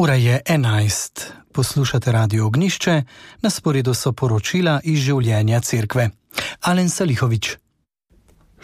Ura je 11. Poslušate Radio Ognjišče, na sporedu so poročila iz življenja cerkve. Alen Salihović.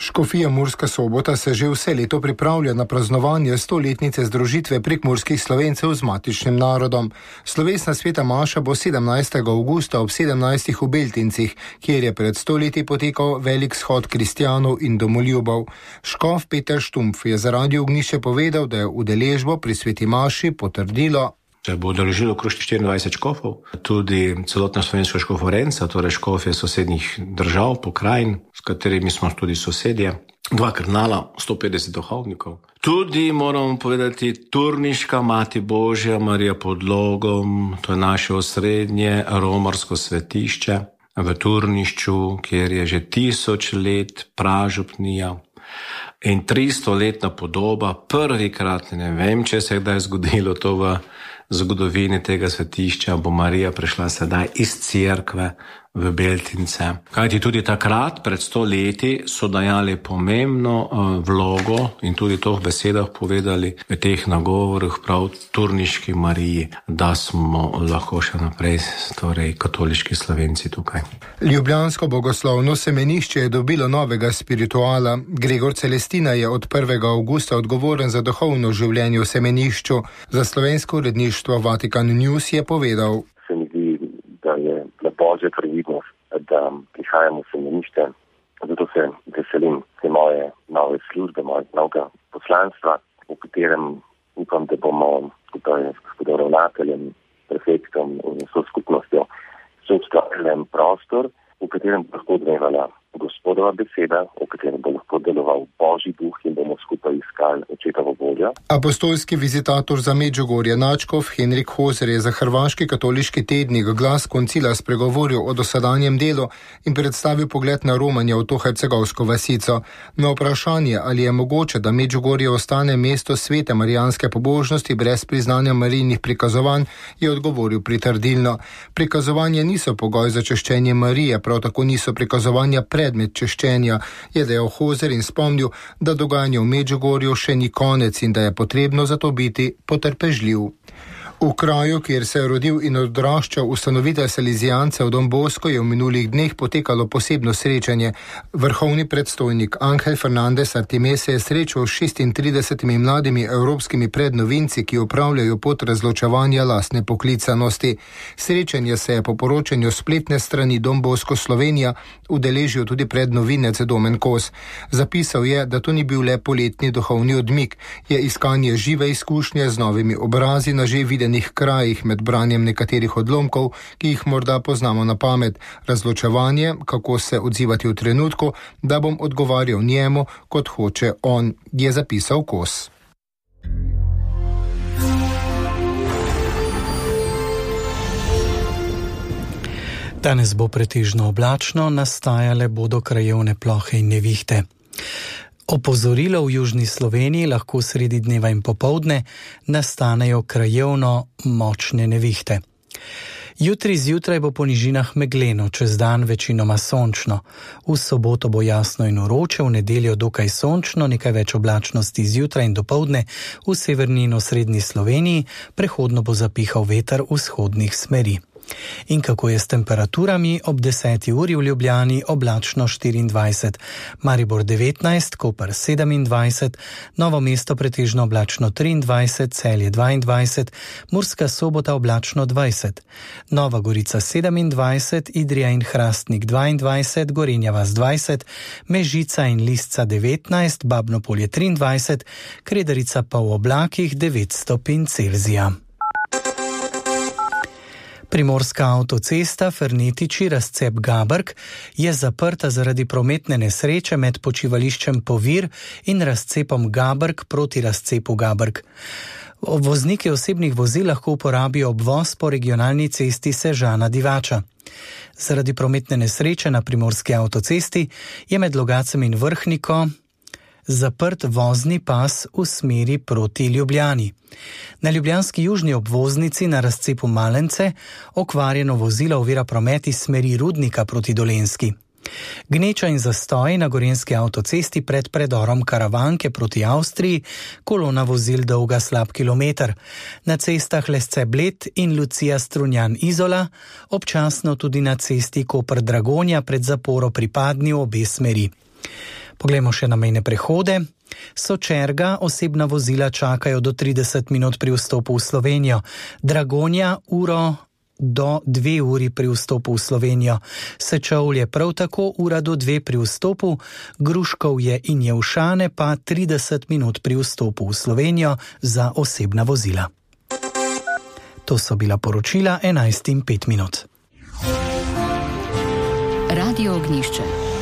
Škofija Murska Sobota se že vse leto pripravlja na praznovanje 100-letnice združitve prekmurskih Slovencev z matičnim narodom. Slovesna sveta maša bo 17. avgusta ob 17. v Beltincih, kjer je pred 100 leti potekal velik shod kristjanov in domoljubov. Škof Peter Štumpf je za Radio Ognjišče povedal, da je udeležbo pri sveti maši potrdilo. Se bo udeležilo okrog 24 škofov, tudi celotna slovenska škoforenca, torej škofje sosednjih držav, pokrajin, s katerimi smo tudi sosedje, 2 kardinala, 150 duhovnikov. Tudi moramo povedati Turniška Mati Božja Marija pod Logom, to je naše osrednje romarsko svetišče v Turnišču, kjer je že 1000 let pražupnija in 300-letna podoba. Prvikrat, ne vem, če se je kdaj zgodilo to v zgodovini tega svetišča, bo Marija prišla sedaj iz cerkve v Beltince. Kajti tudi takrat, pred 100 leti, so dajali pomembno vlogo in tudi to v besedah povedali v teh nagovorih prav Turniški Mariji, da smo lahko še naprej torej katoliški Slovenci tukaj. Ljubljansko bogoslovno semenišče je dobilo novega spirituala. Gregor Celestina je od 1. avgusta odgovoren za duhovno življenje v semenišču. Za slovensko uredništvo Vatikan News je povedal: Se mi zdi, da je Božja previdnost, da prihajamo v semenišče. Zato se veselim te moje nove službe, mojega novega poslanstva, v katerem upam, da bomo skupaj s gospodom ravnateljem, prefektom in vso skupnostjo soustvarjali prostor, v katerem bo lahko odmevala Gospodova beseda, v katerem bo lahko deloval Božji duh in bomo skupaj iskali očetovo voljo. Apostolski vizitator za Medžugorje Načkov Henrik Hozer je za hrvaški katoliški tednik Glas koncila spregovoril o dosedanjem delu in predstavil pogled na romanje v to hercegovsko vasico. Na vprašanje, ali je mogoče, da Medžugorje ostane mesto svete marijanske pobožnosti brez priznanja marijnih prikazovanj, je odgovoril pritrdilno. Prikazovanje niso pogoj za češčenje Marije, prav tako niso prikazovanja predmet češčenja, je dejal Hozer in spomnil, da dogajanje v Medžugorju še ni konec in da je potrebno zato biti potrpežljiv. V kraju, kjer se je rodil in odraščal ustanovitelj Salizijancev Don Bosco, je v minulih dneh potekalo posebno srečanje. Vrhovni predstojnik Ángel Fernández Artimes se je srečal s 36 mladimi evropskimi prednovinci, ki upravljajo pot razločevanja lastne poklicanosti. Srečanje se je po poročanju spletne strani Don Bosco Slovenija udeležil tudi prednovinec Domen Kos. Zapisal je, da to ni bil le poletni duhovni odmik, je iskanje žive izkušnje z novimi obrazi na že videnih krajih med branjem nekaterih odlomkov, ki jih morda poznamo na pamet, razločevanje, kako se odzivati v trenutku, da bom odgovarjal njemu, kot hoče on, je zapisal Kos. Danes bo pretežno oblačno, nastajale bodo krajevne plohe in nevihte. Opozorilo v južni Sloveniji lahko sredi dneva in popoldne nastanejo krajevno močne nevihte. Jutri zjutraj bo po nižinah megleno, čez dan večinoma sončno. V soboto bo jasno in vroče, v nedeljo dokaj sončno, nekaj več oblačnosti zjutraj in dopoldne v severni in osrednji Sloveniji, prehodno bo zapihal veter vzhodnih smeri. In kako je s temperaturami? Ob 10. uri v Ljubljani oblačno 24, Maribor 19, Koper 27, Novo mesto pretežno oblačno 23, Celje 22, Murska Sobota oblačno 20, Nova Gorica 27, Idrija in Hrastnik 22, Gorenja vas 20, Mežica in Lisca 19, Babno Polje 23, Kredarica pa v oblakih 9 stopinj Celzija. Primorska avtocesta Fernetiči-Razcep-Gabrk je zaprta zaradi prometne nesreče med počivališčem Povir in razcepom Gabrk proti razcepu Gabrk. Vozniki osebnih vozil lahko uporabijo obvoz po regionalni cesti Sežana-Divača. Zaradi prometne nesreče na primorski avtocesti je med Logacem in Vrhniko zaprt vozni pas v smeri proti Ljubljani. Na ljubljanski južni obvoznici na razcepu Malence okvarjeno vozilo ovira promet iz smeri Rudnika proti Dolenjski. Gneča in zastoj na gorenjski avtocesti pred predorom Karavanke proti Avstriji, kolona vozil dolga slab kilometer. Na cestah Lesce Bled in Lucija Strunjan Izola, občasno tudi na cesti Koper Dragonja pred zaporo pri Padni v obe smeri. Poglejmo še na mejne prehode. Sočerga osebna vozila čakajo do 30 minut pri vstopu v Slovenijo, Dragonja uro do 2 uri pri vstopu v Slovenijo, Sečovlje prav tako ura do 2 pri vstopu, Gruškovje in Jevšane pa 30 minut pri vstopu v Slovenijo za osebna vozila. To so bila poročila 11:05. Radio Ognjišče.